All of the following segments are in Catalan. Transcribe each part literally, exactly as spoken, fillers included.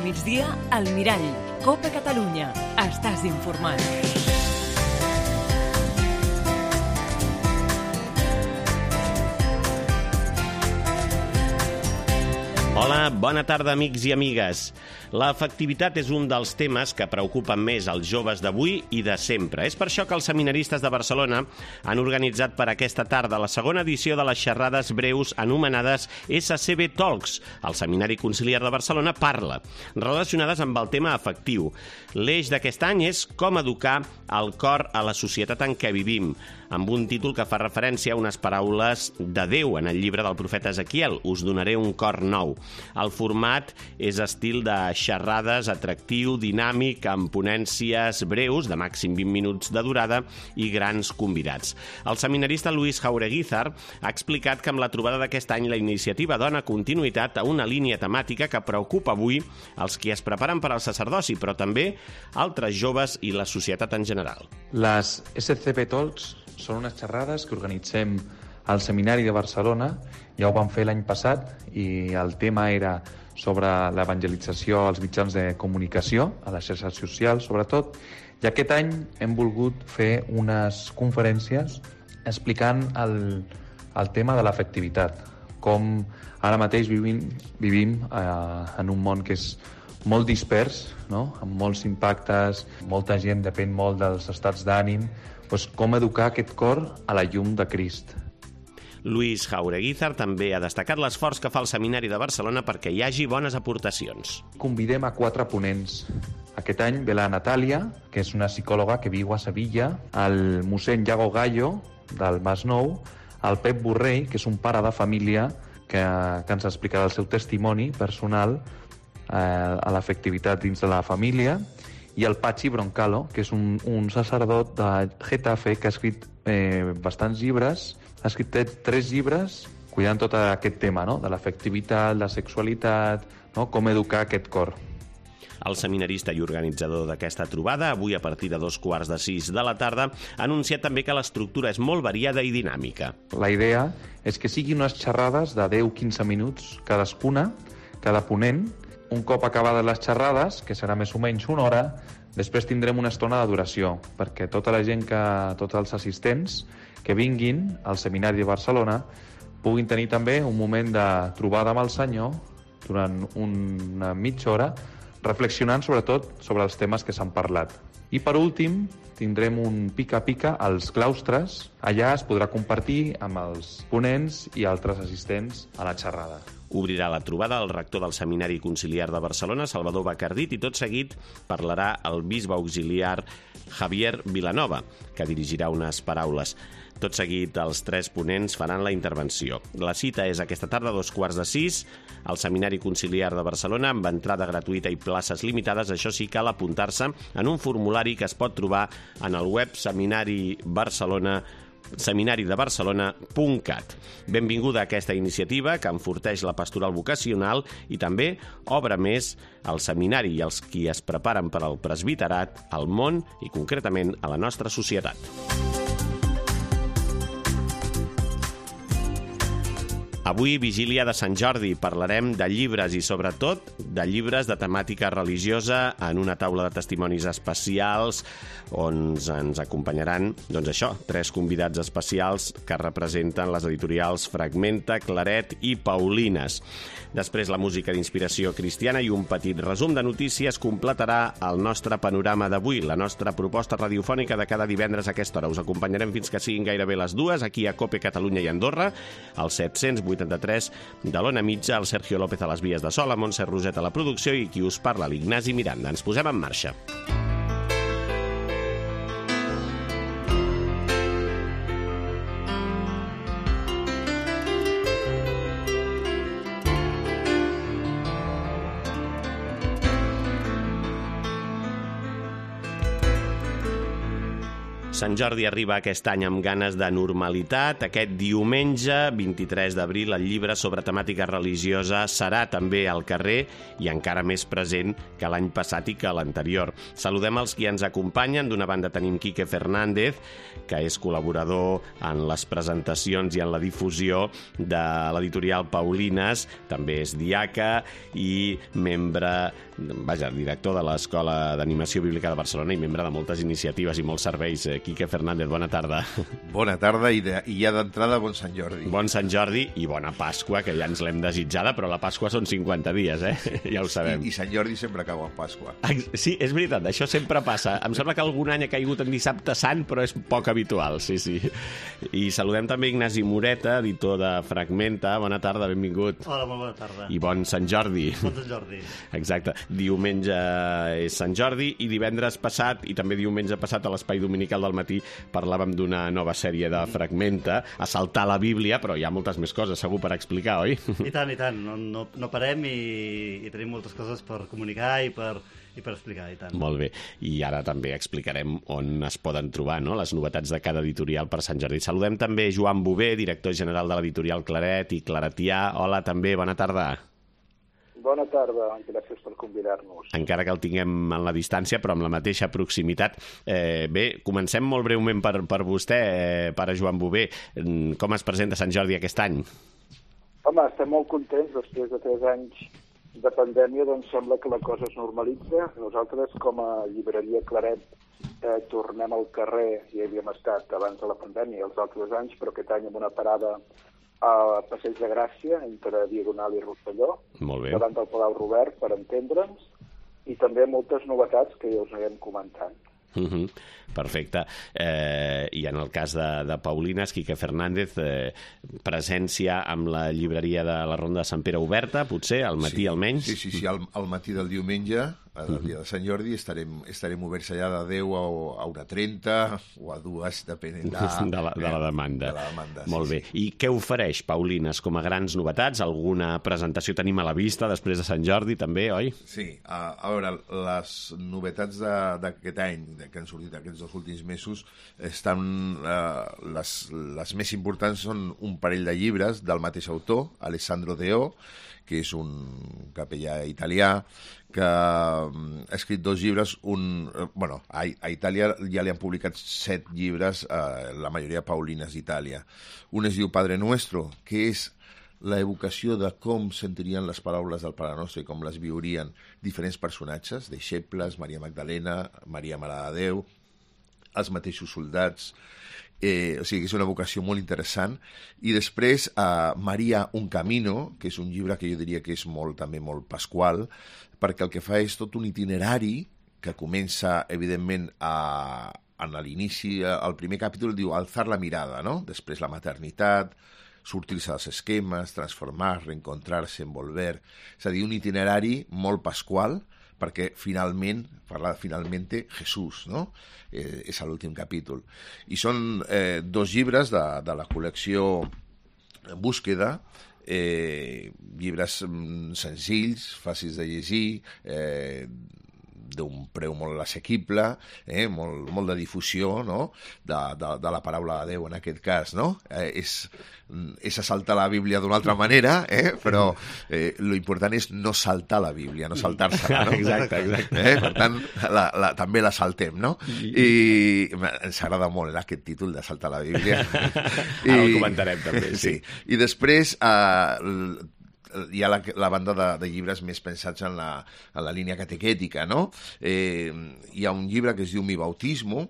migdia, al Mirall, Copa Catalunya. Estàs informat. Hola, bona tarda, amics i amigues. L'efectivitat és un dels temes que preocupen més els joves d'avui i de sempre. És per això que els seminaristes de Barcelona han organitzat per aquesta tarda la segona edició de les xerrades breus anomenades S C B Talks. El Seminari Conciliar de Barcelona parla, relacionades amb el tema afectiu. L'eix d'aquest any és com educar el cor a la societat en què vivim, amb un títol que fa referència a unes paraules de Déu en el llibre del profeta Ezequiel, Us donaré un cor nou. El format és estil de xerrades, atractiu, dinàmic, amb ponències breus, de màxim vint minuts de durada, i grans convidats. El seminarista Luis Jaureguizar ha explicat que amb la trobada d'aquest any la iniciativa dona continuïtat a una línia temàtica que preocupa avui els qui es preparen per al sacerdoci, però també altres joves i la societat en general. Les S C B Talks són unes xerrades que organitzem al Seminari de Barcelona. Ja ho vam fer l'any passat i el tema era sobre l'evangelització als mitjans de comunicació, a les xarxes socials sobretot, i aquest any hem volgut fer unes conferències explicant el, el tema de l'afectivitat, com ara mateix vivim, vivim eh, en un món que és molt dispers, no? Amb molts impactes, molta gent depèn molt dels estats d'ànim, doncs com educar aquest cor a la llum de Crist. Luis Jaureguizar també ha destacat l'esforç que fa el Seminari de Barcelona perquè hi hagi bones aportacions. Convidem a quatre ponents. Aquest any ve la Natàlia, que és una psicòloga que viu a Sevilla, el mossèn Iago Gallo, del Masnou, el Pep Borrell, que és un pare de família que, que ens explicarà el seu testimoni personal eh, a l'afectivitat dins de la família, i el Patxi Broncalo, que és un, un sacerdot de Getafe que ha escrit eh, bastants llibres. Ha escrit tres llibres cuidant tot aquest tema, no? De l'afectivitat, la sexualitat, no? Com educar aquest cor. El seminarista i organitzador d'aquesta trobada, avui a partir de dos quarts de sis de la tarda, ha anunciat també que l'estructura és molt variada i dinàmica. La idea és que siguin unes xerrades de deu a quinze minuts cadascuna, cada ponent. Un cop acabades les xerrades, que serà més o menys una hora, després tindrem una estona de duració, perquè tota la gent, que, tots els assistents que vinguin al Seminari de Barcelona puguin tenir també un moment de trobada amb el Senyor durant una mitja hora, reflexionant sobretot sobre els temes que s'han parlat. I per últim, tindrem un pica-pica als claustres. Allà es podrà compartir amb els ponents i altres assistents a la xerrada. Obrirà la trobada el rector del Seminari Conciliar de Barcelona, Salvador Bacardit, i tot seguit parlarà el bisbe auxiliar Javier Vilanova, que dirigirà unes paraules. Tot seguit, els tres ponents faran la intervenció. La cita és aquesta tarda a dos quarts de sis, al Seminari Conciliar de Barcelona, amb entrada gratuïta i places limitades. Això sí, cal apuntar-se en un formulari que es pot trobar en el web Seminari Barcelona seminari de barcelona punt cat. Benvinguda a aquesta iniciativa que enforteix la pastoral vocacional i també obre més al seminari i als qui es preparen per al presbiterat, al món i concretament a la nostra societat. Avui, vigília de Sant Jordi, parlarem de llibres i, sobretot, de llibres de temàtica religiosa en una taula de testimonis especials on ens acompanyaran, doncs això, tres convidats especials que representen les editorials Fragmenta, Claret i Paulines. Després, la música d'inspiració cristiana i un petit resum de notícies completarà el nostre panorama d'avui, la nostra proposta radiofònica de cada divendres a aquesta hora. Us acompanyarem fins que siguin gairebé les dues, aquí a Cope Catalunya i Andorra, al set-cents vuitanta-tres de l'Ona Mitja, el Sergio López a les vies de so, la Montse Roset a la producció i qui us parla, l'Ignasi Miranda. Ens posem en marxa. Sant Jordi arriba aquest any amb ganes de normalitat. Aquest diumenge, vint-i-tres d'abril, el llibre sobre temàtica religiosa serà també al carrer i encara més present que l'any passat i que l'anterior. Saludem els qui ens acompanyen. D'una banda tenim Quique Fernández, que és col·laborador en les presentacions i en la difusió de l'editorial Paulines. També és diaca i membre, vaja, director de l'Escola d'Animació Bíblica de Barcelona i membre de moltes iniciatives i molts serveis. Quique Fernández, bona tarda. Bona tarda i, de, i ja d'entrada bon Sant Jordi. Bon Sant Jordi i bona Pasqua, que ja ens l'hem desitjada, però la Pasqua són cinquanta dies, eh? Ja ho sabem. I, i Sant Jordi sempre cau en Pasqua. Sí, és veritat, això sempre passa. Em sembla que algun any ha caigut en dissabte sant, però és poc habitual, sí, sí. I saludem també Ignasi Moreta, editor de Fragmenta. Bona tarda, benvingut. Hola, molt bona tarda. I bon Sant Jordi. Bon Sant Jordi. Exacte. Diumenge és Sant Jordi i divendres passat, i també diumenge passat a l'Espai Dominical del matí, parlàvem d'una nova sèrie de Fragmenta, a saltar la Bíblia, però hi ha moltes més coses segur per explicar, oi? I tant, i tant. No, no, no parem i, i tenim moltes coses per comunicar i per, i per explicar, i tant. Molt bé. I ara també explicarem on es poden trobar, no?, les novetats de cada editorial per Sant Jordi. Saludem també Joan Bové, director general de l'editorial Claret i Claretià. Hola, també, bona tarda. Bona tarda, gràcies per convidar-nos. Encara que el tinguem en la distància, però amb la mateixa proximitat. Eh, bé, comencem molt breument per, per vostè, eh, pare Joan Bové. Com es presenta Sant Jordi aquest any? Home, estem molt contents. Després de tres anys de pandèmia, doncs sembla que la cosa es normalitza. Nosaltres, com a llibreria Claret, eh, tornem al carrer. Hi havíem estat abans de la pandèmia els altres anys, però aquest any amb una parada a Passeig de Gràcia, entre Diagonal i Rosselló, davant del Palau Robert, per entendre'ns, i també moltes novetats que ja us anirem comentant. Uh-huh. Perfecte. Eh, I en el cas de, de Paulines, Quique Fernández, eh, presència amb la llibreria de la Ronda de Sant Pere oberta, potser, al matí sí, almenys? Sí, sí, sí, al, al matí del diumenge, el dia de Sant Jordi, estarem, estarem oberts allà de deu a una trenta o a dues, depenent de, de, la, de la demanda. De la demanda Molt sí, bé. Sí. I què ofereix Paulines com a grans novetats? Alguna presentació tenim a la vista després de Sant Jordi, també, oi? Sí. A, a veure, les novetats d'aquest any, que han sortit aquests dos últims mesos, estan, eh, les, les més importants són un parell de llibres del mateix autor, Alessandro Deo, que és un capellà italià, que ha escrit dos llibres, un, bueno, a, a Itàlia ja li han publicat set llibres, eh, la majoria Paulines d'Itàlia. Un es diu Padre Nuestro, que és la evocació de com sentirien les paraules del Pare Nostre i com les viurien diferents personatges, deixebles, Maria Magdalena, Maria Mare de Déu, els mateixos soldats. Eh, o sigui, és una vocació molt interessant. I després eh, Maria un camino, que és un llibre que jo diria que és molt, també molt pasqual, perquè el que fa és tot un itinerari que comença, evidentment, a, a l'inici, al primer capítol diu alzar la mirada, no? Després la maternitat, sortir-se dels esquemes, transformar, reencontrar-se, envolver. És a dir, un itinerari molt pasqual, perquè finalment, parla de finalmente Jesús, no? Eh, és l'últim capítol. I són eh, dos llibres de, de la col·lecció Búsqueda, eh, llibres senzills, fàcils de llegir, eh, d'un preu molt assequible, eh, molt, molt de difusió, no?, de, de, de la paraula de Déu en aquest cas, no? Eh, és, és saltar la Bíblia d'una altra manera, eh, però eh, lo important és no saltar la Bíblia, no saltar-se-la, no? Exacte, exacte. Eh, per tant, la, la, també la saltem, no? I ens agrada molt eh, aquest títol de saltar la Bíblia. I, ara el comentarem també, sí. sí. I després eh, hi ha la, la banda de, de llibres més pensats en la, en la línia catequètica, no? Eh, hi ha un llibre que es diu Mi Bautismo,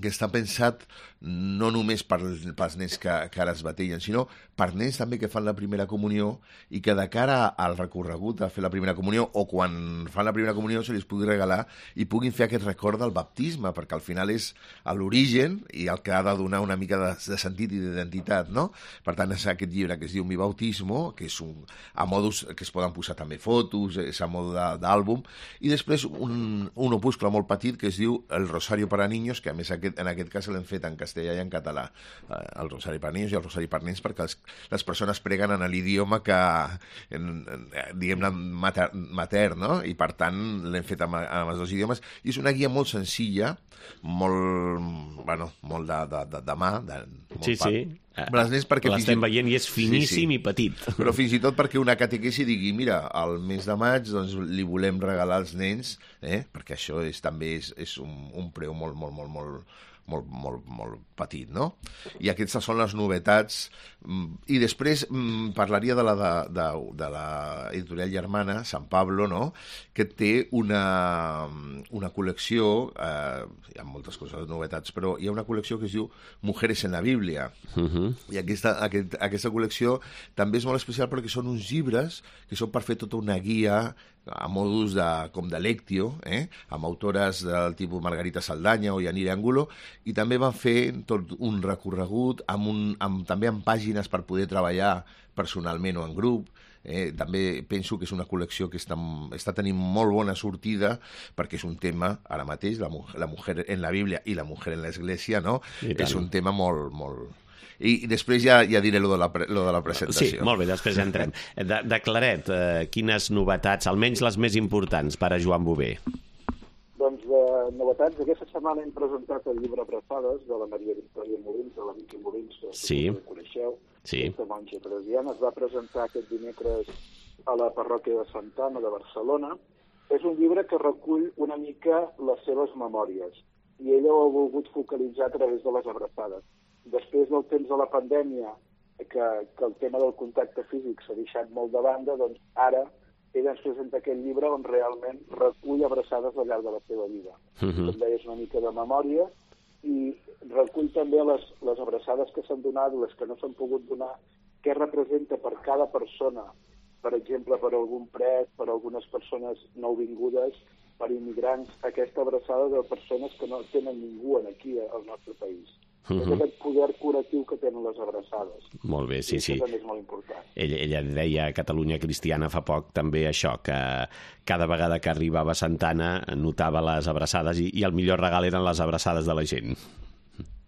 que està pensat no només per, pels nens que, que ara es batellen, sinó per nens també que fan la primera comunió i que de cara al recorregut a fer la primera comunió o quan fan la primera comunió se li pugui regalar i puguin fer aquest record del baptisme, perquè al final és a l'origen i el que ha de donar una mica de, de sentit i d'identitat, no? Per tant, és aquest llibre que es diu Mi Bautismo, que és un, a modus que es poden posar també fotos, és a modo d'àlbum, i després un, un opuscle molt petit que es diu El Rosario para Niños, que a més aquest, en aquest cas l'hem fet en castellà castellà i en català. Eh, el Rosari per Niños i el Rosari per Nens, perquè els, les persones preguen en l'idioma que, en, en, diguem-ne, mater, mater, no? I per tant l'hem fet amb, amb els dos idiomes. I és una guia molt senzilla, molt, bueno, molt de, de, de, de mà, de, molt sí, sí. L'estem veient i és finíssim sí, sí. i petit. Però fins i tot perquè una catequesi digui, mira, al mes de maig doncs, li volem regalar als nens, eh? Perquè això és, també és, és un, un preu molt, molt, molt, molt, molt, molt, molt petit, no? I aquestes són les novetats. I després parlaria de la, de, de, de la editorial germana, San Pablo, no? Que té una, una col·lecció, eh, hi ha moltes coses, novetats, però hi ha una col·lecció que es diu Mujeres en la Bíblia. Uh-huh. I aquesta, aquest, aquesta col·lecció també és molt especial perquè són uns llibres que són per fer tota una guia a modus de, com de lectio, eh? Amb autores del tipus Margarita Saldanya o Yanire Angulo, i també van fer tot un recorregut amb un, amb, també amb pàgines per poder treballar personalment o en grup. Eh, també penso que és una col·lecció que està, està tenint molt bona sortida perquè és un tema, ara mateix, la, la mujer en la Bíblia i la mujer en l'església, no? És un tema molt, molt... I, i després ja, ja diré lo de, la, lo de la presentació. Sí, molt bé, després ja entrem. De, de Claret, eh, quines novetats, almenys les més importants, per a Joan Bové? Doncs de novetats, aquesta setmana hem presentat el llibre Abraçades de la Maria Victòria Molins, de la Vicky Molins, que sí. ho coneixeu, sí. aquesta monja presiana. Es va presentar aquest dimecres a la parròquia de Santa Anna de Barcelona. És un llibre que recull una mica les seves memòries i ella ho ha volgut focalitzar a través de les abraçades. Després del temps de la pandèmia, que, que el tema del contacte físic s'ha deixat molt de banda, doncs ara ella ens presenta aquest llibre on realment recull abraçades al llarg de la seva vida. Uh-huh. També és una mica de memòria i recull també les, les abraçades que s'han donat, les que no s'han pogut donar, què representa per cada persona, per exemple, per algun pres, per algunes persones nouvingudes, per immigrants, aquesta abraçada de persones que no tenen ningú aquí al nostre país. Uh-huh. És aquest poder curatiu que tenen les abraçades. Molt bé, sí, I sí. això també és molt important. Ella, ella deia a Catalunya Cristiana fa poc també això, que cada vegada que arribava a Santa Anna notava les abraçades i, i el millor regal eren les abraçades de la gent.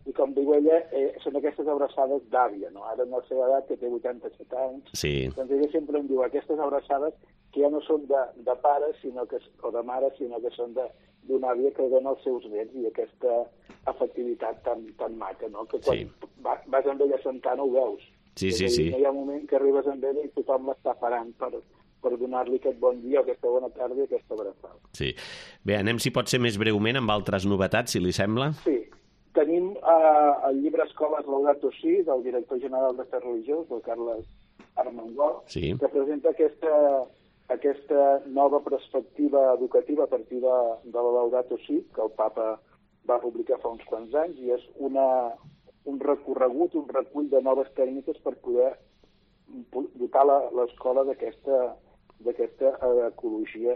I com diu ella, eh, són aquestes abraçades d'àvia, no? Ara en la seva edat, que té vuitanta-set anys, sí. Doncs ella sempre em diu aquestes abraçades que ja no són de, de pare sinó que, o de mare, sinó que són d'una àvia que dona als seus nets i aquesta afectivitat tan, tan maca, no? Que quan sí. vas amb ella a Santa Anna ho veus. Sí, sí, sí. No hi ha un moment que arribes amb ella i tothom l'està parant per, per donar-li aquest bon dia, aquesta bona tarda i aquesta abraçada. Sí. Bé, anem, si pot ser més breument, amb altres novetats, si li sembla. Sí. Tenim eh, el llibre Escoles Laudato Si, del director general d'Afers Religiosos, del Carles Armengol, sí. que presenta aquesta, aquesta nova perspectiva educativa a partir de, de la Laudato Si, que el papa va publicar fa uns quants anys, i és una, un recorregut, un recull de noves tècniques per poder dotar l'escola d'aquesta d'aquesta ecologia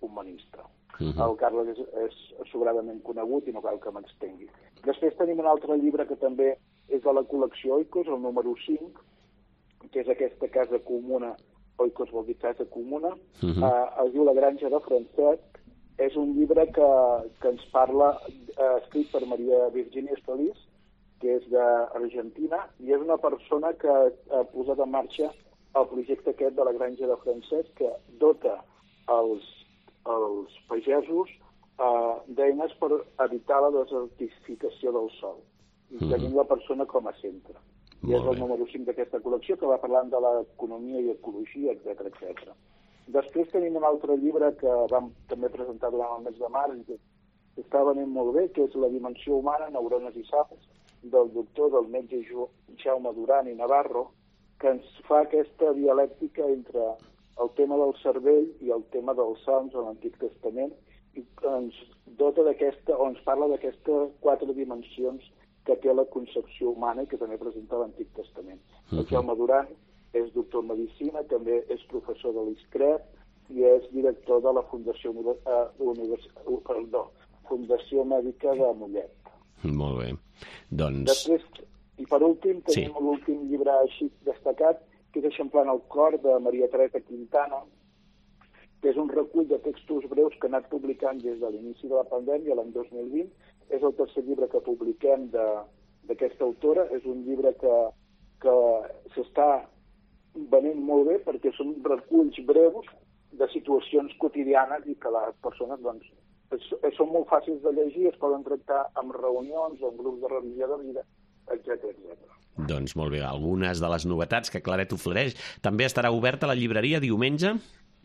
humanista. Uh-huh. El Carles és, és sobradament conegut i no cal que m'extengui. Després tenim un altre llibre que també és de la col·lecció Oikos, el número cinc, que és aquesta casa comuna, Oikos vol dir casa comuna, uh-huh. eh, es diu La granja de Francesc. És un llibre que, que ens parla, eh, escrit per Maria Virginia Feliz, que és d'Argentina, i és una persona que ha posat en marxa el projecte aquest de la granja de Francesc, que dota els, els pagesos eh, d'eines per evitar la desertificació del sòl. I mm. tenim la persona com a centre. I és el número cinc d'aquesta col·lecció, que va parlant de l'economia i ecologia, etcètera, etcètera. Després tenim un altre llibre que vam també presentar durant el mes de març i que està venint molt bé, que és La dimensió humana, neurones i saps, del doctor, del metge Jaume Duran i Navarro, que ens fa aquesta dialèctica entre el tema del cervell i el tema dels salms a l'Antic Testament, i ens dota d'aquesta, o ens parla d'aquestes quatre dimensions que té la concepció humana i que també presenta l'Antic Testament. Uh-huh. El Jaume Duran és doctor en Medicina, també és professor de l'ISCREP i és director de la Fundació, uh, Univers... uh, perdó, Fundació Mèdica de Mollet. Molt bé. Doncs... Després, i per últim, tenim sí. l'últim llibre així destacat, que és Eixamplant el cor, de Maria Teresa Quintana, que és un recull de textos breus que ha anat publicant des de l'inici de la pandèmia, l'any dos mil vint. És el tercer llibre que publiquem de, d'aquesta autora. És un llibre que, que s'està venent molt bé perquè són reculls breus de situacions quotidianes i que les persones doncs, es, són molt fàcils de llegir, es poden tractar en reunions o en grups de revisió de vida, etcètera, etcètera. Doncs molt bé, algunes de les novetats que Claret ofereix. També estarà oberta la llibreria diumenge?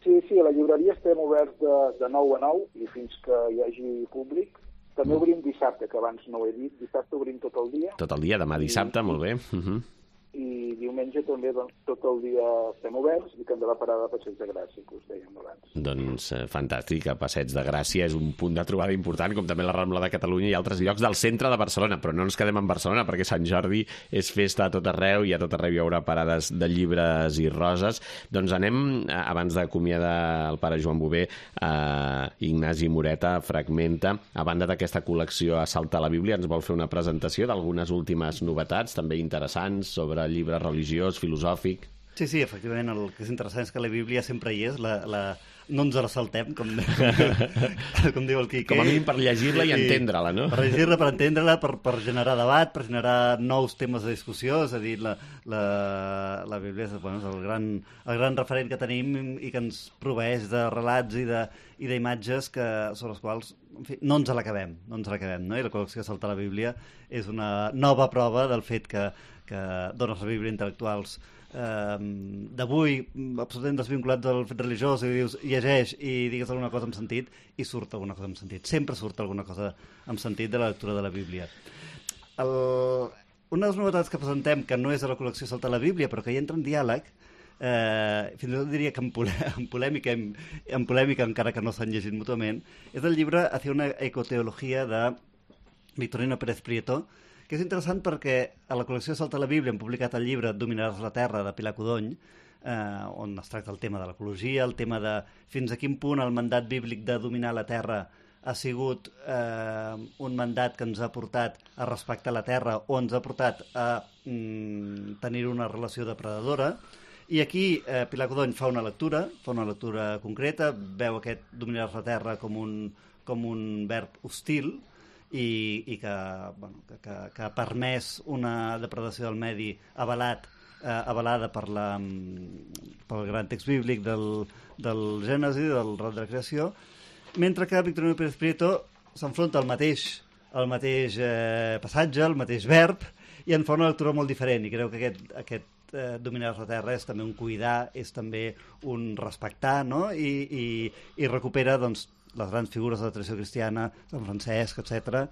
Sí, sí, a la llibreria estem oberts de, de nou a nou i fins que hi hagi públic. També obrim dissabte, que abans no ho he dit. Dissabte obrim tot el dia. Tot el dia, demà dissabte, I, molt bé. Uh -huh. I diumenge també doncs, tot el dia estem oberts i que hem de la parada de Passeig de Gràcia, que us dèiem abans. Doncs eh, fantàstic, a Passeig de Gràcia és un punt de trobada important, com també la Rambla de Catalunya i altres llocs del centre de Barcelona, però no ens quedem en Barcelona perquè Sant Jordi és festa a tot arreu i a tot arreu hi haurà parades de llibres i roses. Doncs anem, abans d'acomiadar el pare Joan Bové, a Ignasi Moreta, Fragmenta. A banda d'aquesta col·lecció a Salta a la Bíblia, ens vol fer una presentació d'algunes últimes novetats, també interessants, sobre llibre religiós, filosòfic. Sí, sí, efectivament, el que és interessant és que la Bíblia sempre hi és, la, la... no ens la saltem, com, com diu el Quique. Com a mínim per llegir-la i entendre-la, no? Per llegir-la, per entendre-la, per, per generar debat, per generar nous temes de discussió, és a dir, la, la, la Bíblia és, bueno, és el, gran, el gran referent que tenim i que ens proveeix de relats i de i d'imatges que, sobre els quals en fi, no ens l'acabem, no ens l'acabem, no? I la col·lecció Salta a la Bíblia és una nova prova del fet que, que dones la Bíblia intel·lectuals eh, d'avui, absolutament desvinculats del fet religiós, i dius, llegeix i digues alguna cosa amb sentit, i surt alguna cosa amb sentit. Sempre surt alguna cosa amb sentit de la lectura de la Bíblia. El... Una de les novetats que presentem, que no és a la col·lecció Salta a la Bíblia, però que hi entra en diàleg, eh, fins i tot diria que en, polè en, polèmica, en, en polèmica, encara que no s'han llegit mútuament, és el llibre Hacia una ecoteologia de Victorino Pérez Prieto, que és interessant perquè a la col·lecció Salta a la Bíblia han publicat el llibre Dominaràs la Terra, de Pilar Codony, eh, on es tracta el tema de l'ecologia, el tema de fins a quin punt el mandat bíblic de dominar la Terra ha sigut eh, un mandat que ens ha portat a respectar la Terra o ens ha portat a mm, tenir una relació depredadora. I aquí eh, Pilar Codony fa una lectura, fa una lectura concreta, veu aquest dominar la Terra com un, com un verb hostil, i, i que, bueno, que, que, que ha permès una depredació del medi avalat, eh, avalada per la, pel gran text bíblic del, del Gènesi, del relat de la creació, mentre que Victorino Pérez Prieto s'enfronta al mateix, al mateix eh, passatge, al mateix verb, i en fa una lectura molt diferent, i creu que aquest, aquest eh, dominar la terra és també un cuidar, és també un respectar, no? I, i, i recupera doncs, les grans figures de la tradició cristiana, Sant Francesc, etcètera,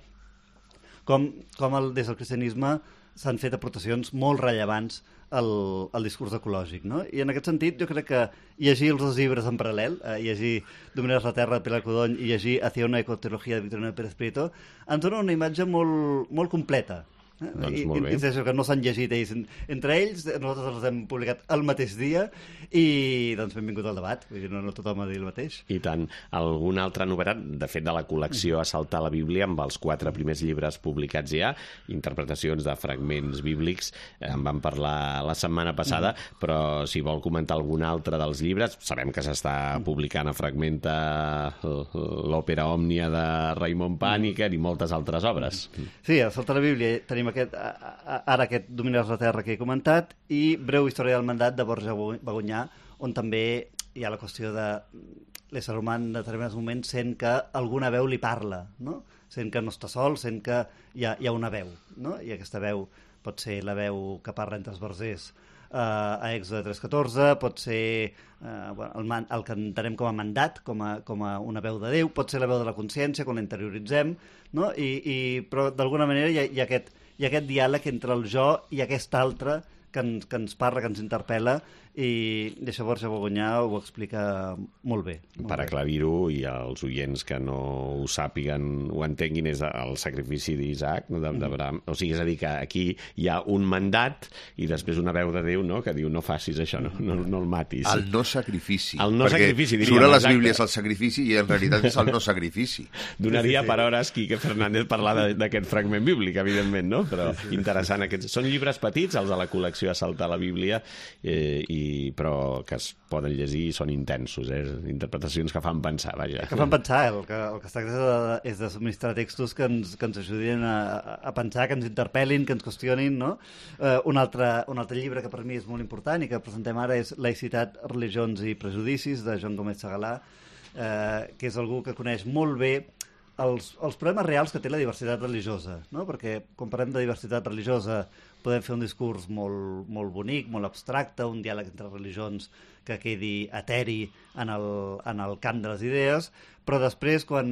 com, com el, des del cristianisme s'han fet aportacions molt rellevants al, al discurs ecològic, no? I en aquest sentit jo crec que llegir els dos llibres en paral·lel, eh, llegir Dominaràs la Terra de Pilar Codony i llegir Hacia una ecoteologia de Victorino Pérez Prieto ens dona una imatge molt, molt completa. Eh? Doncs I, molt bé. I, i que no s'han llegit ells entre ells, nosaltres els hem publicat el mateix dia i doncs benvingut al debat, vull dir, no, no tothom ha dit el mateix. I tant. Alguna altra novetat, de fet, de la col·lecció a Saltar la Bíblia, amb els quatre primers llibres publicats ja, interpretacions de fragments bíblics, en vam parlar la setmana passada, mm. però si vol comentar algun altre dels llibres, sabem que s'està publicant a Fragmenta l'òpera Òmnia de Raimon Pàniker i moltes altres obres. Sí, a Saltar la Bíblia tenim aquest, ara aquest Dominaràs la Terra que he comentat i Breu història del mandat de Borja Bagonyà, on també hi ha la qüestió de l'ésser humà en determinats moments sent que alguna veu li parla, no? Sent que no està sol, sent que hi ha, hi ha una veu, no? I aquesta veu pot ser la veu que parla entre els versers eh, a Èxode tres catorze, pot ser eh, bueno, el, man, el que entenem com a mandat, com a, com a una veu de Déu, pot ser la veu de la consciència quan la interioritzem, no? I, i, però d'alguna manera hi ha, hi ha aquest hi ha aquest diàleg entre el jo i aquest altre que ens, que ens parla, que ens interpel·la, i això Borja Bagonyà ho explica molt bé. Molt per bé. aclarir-ho, i els oients que no ho sàpiguen, ho entenguin, és el sacrifici d'Isaac, no? d'Abraham. O sigui, és a dir, que aquí hi ha un mandat i després una veu de Déu, no?, que diu no facis això, no, no, no el matis. El no sacrifici. El no perquè sacrifici, diríem. Surt a les exacte. Bíblies el sacrifici i en realitat és el no sacrifici. Donaria Sí, sí, sí. per hores Quique Fernández parlar d'aquest fragment bíblic, evidentment, no? Però interessant. Aquests són llibres petits, els de la col·lecció a Saltar la Bíblia, eh, i i, però que es poden llegir i són intensos, eh? Interpretacions que fan pensar, vaja. Que fan pensar, el que, el que es tracta és de, és de subministrar textos que ens, que ens ajudin a, a pensar, que ens interpel·lin, que ens qüestionin, no? Eh, un, altre, un altre llibre que per mi és molt important i que presentem ara és Laïcitat, religions i prejudicis, de Joan Gómez Segalà, eh, que és algú que coneix molt bé els, els problemes reals que té la diversitat religiosa, no? Perquè quan parlem de diversitat religiosa podem fer un discurs molt, molt bonic, molt abstracte, un diàleg entre religions que quedi eteri en el, en el camp de les idees, però després, quan,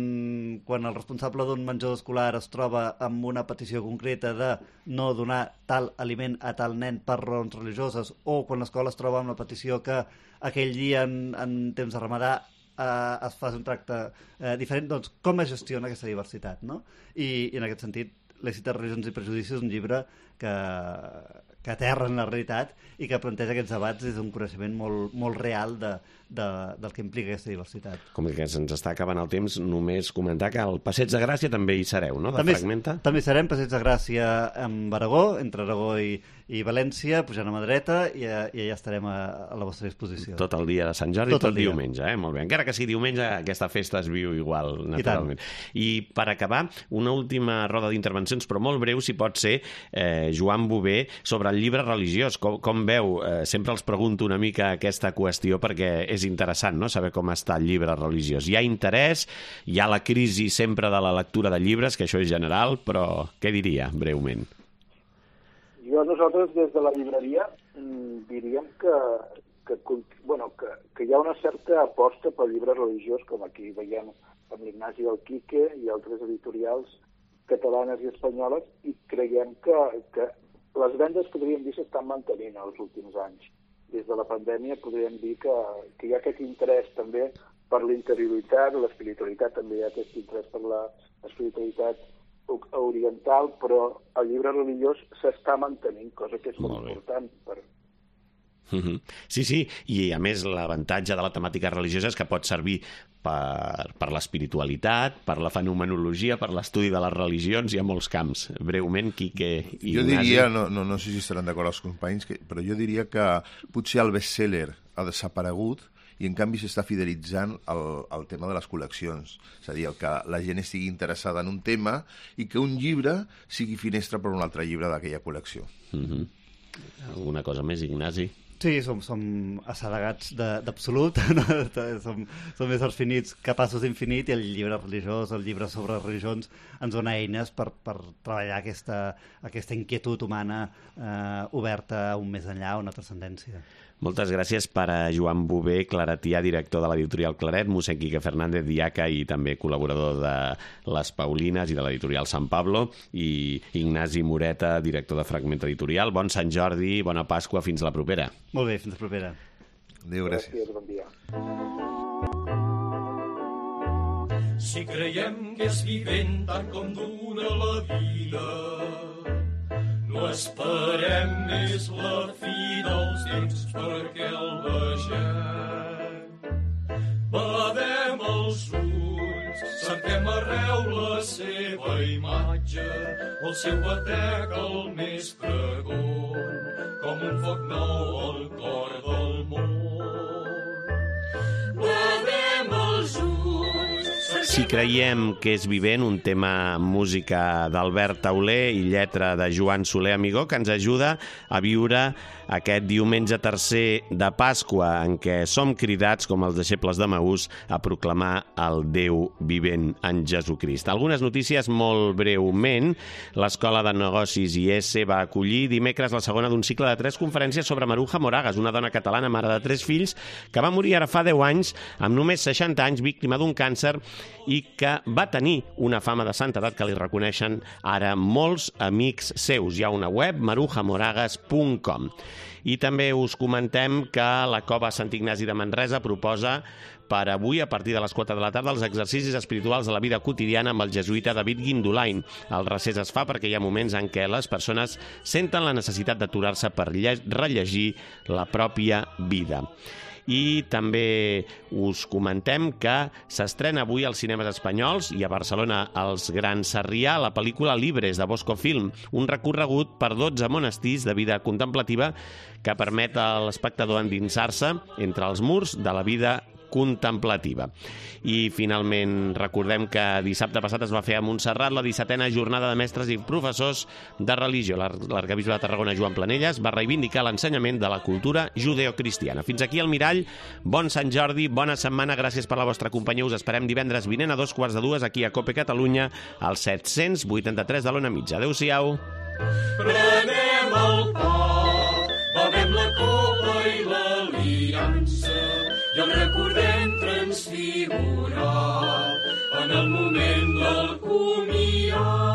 quan el responsable d'un menjador escolar es troba amb una petició concreta de no donar tal aliment a tal nen per raons religioses, o quan l'escola es troba amb la petició que aquell dia en, en temps de ramadà eh, es faci un tracte eh, diferent, doncs com es gestiona aquesta diversitat, no? I, i en aquest sentit, Laïcitat, religions i prejudicis és un llibre que, que aterra en la realitat i que planteja aquests debats des d'un coneixement molt, molt real de, de, del que implica aquesta diversitat. Com que se'ns està acabant el temps, només comentar que al Passeig de Gràcia també hi sereu, no? De també, Fragmenta. També serem Passeig de Gràcia amb Aragó, entre Aragó i, i València, pujant a mà dreta, i, i allà estarem a, a la vostra disposició. Tot el dia de Sant Jordi, tot, tot diumenge, eh? Molt bé. Encara que sigui diumenge, aquesta festa es viu igual, naturalment. I, I per acabar, una última roda d'intervencions, però molt breu, si pot ser, eh, Joan Bové, sobre el llibre religiós. Com, com veu? Eh, sempre els pregunto una mica aquesta qüestió perquè és interessant, no?, saber com està el llibre religiós. Hi ha interès, hi ha la crisi sempre de la lectura de llibres, que això és general, però què diria, breument? Jo, nosaltres, des de la llibreria, diríem que, que, bueno, que, que hi ha una certa aposta pel llibre religiós, com aquí veiem amb l'Ignasi del Quique i altres editorials catalanes i espanyoles, i creiem que, que les vendes, podríem dir, s'estan mantenint els últims anys. Des de la pandèmia podríem dir que, que hi ha aquest interès també per l'interioritat, l'espiritualitat, també hi ha aquest interès per l'espiritualitat oriental, però el llibre religiós s'està mantenint, cosa que és molt, molt important per... Sí, sí, i a més l'avantatge de la temàtica religiosa és que pot servir per, per l'espiritualitat, per la fenomenologia, per l'estudi de les religions, hi ha molts camps. Breument, Quique i Jo Ignasi. diria, no, no, no sé si estaran d'acord els companys, que, però jo diria que potser el best-seller ha desaparegut i en canvi s'està fidelitzant el, el tema de les col·leccions. És a dir, el que la gent estigui interessada en un tema i que un llibre sigui finestra per un altre llibre d'aquella col·lecció. Mm-hmm. Alguna cosa més, Ignasi? Sí, som, som assedegats d'absolut, no? som, som éssers finits, capaços d'infinit, i el llibre religiós, el llibre sobre religions, ens dona eines per, per treballar aquesta, aquesta inquietud humana eh, oberta a un més enllà, a una transcendència. Moltes gràcies per a Joan Bové, claretià, director de l'editorial Claret, mossèn Quique Fernández, diaca i també col·laborador de Les Paulines i de l'editorial Sant Pablo, i Ignasi Moreta, director de Fragment Editorial. Bon Sant Jordi, bona Pasqua, fins la propera. Molt bé, fins la propera. Adéu, gràcies. Gràcies, bon dia. Si creiem que és vivent tant com dura la vida, no esperem més la fi dels temps perquè el vegem. Badem els ulls, cerquem arreu la seva imatge, el seu batec el més pregon, com un foc nou al cor del món. Badem els ulls... Si creiem que és vivent, un tema música d'Albert Tauler i lletra de Joan Soler Amigó, que ens ajuda a viure aquest diumenge tercer de Pasqua, en què som cridats, com els deixebles de Maús, a proclamar el Déu vivent en Jesucrist. Algunes notícies molt breument. L'Escola de Negocis I S va acollir dimecres la segona d'un cicle de tres conferències sobre Maruja Moragas, una dona catalana, mare de tres fills, que va morir ara fa deu anys, amb només seixanta anys, víctima d'un càncer, i que va tenir una fama de santedat que li reconeixen ara molts amics seus. Hi ha una web, maruja moragas punt com. I també us comentem que la Cova Sant Ignasi de Manresa proposa per avui, a partir de les quatre de la tarda, els exercicis espirituals de la vida quotidiana amb el jesuïta David Guindolain. El recés es fa perquè hi ha moments en què les persones senten la necessitat d'aturar-se per rellegir la pròpia vida. I també us comentem que s'estrena avui als cinemes espanyols i a Barcelona als Gran Sarrià la pel·lícula Libres, de Bosco Film, un recorregut per dotze monestirs de vida contemplativa que permet a l'espectador endinsar-se entre els murs de la vida contemplativa. I finalment recordem que dissabte passat es va fer a Montserrat la dissetena jornada de mestres i professors de religió. L'arquebisbe de Tarragona, Joan Planelles, va reivindicar l'ensenyament de la cultura judeocristiana. Fins aquí el Mirall. Bon Sant Jordi, bona setmana, gràcies per la vostra companyia. Us esperem divendres vinent a dos quarts de dues aquí a Cope Catalunya, al set-cents vuitanta-tres de l'Ona Mitja. Adéu-siau. Prenem el pa, bevem la copa i l'aliança, i el recordem transfigurat en el moment del comiat.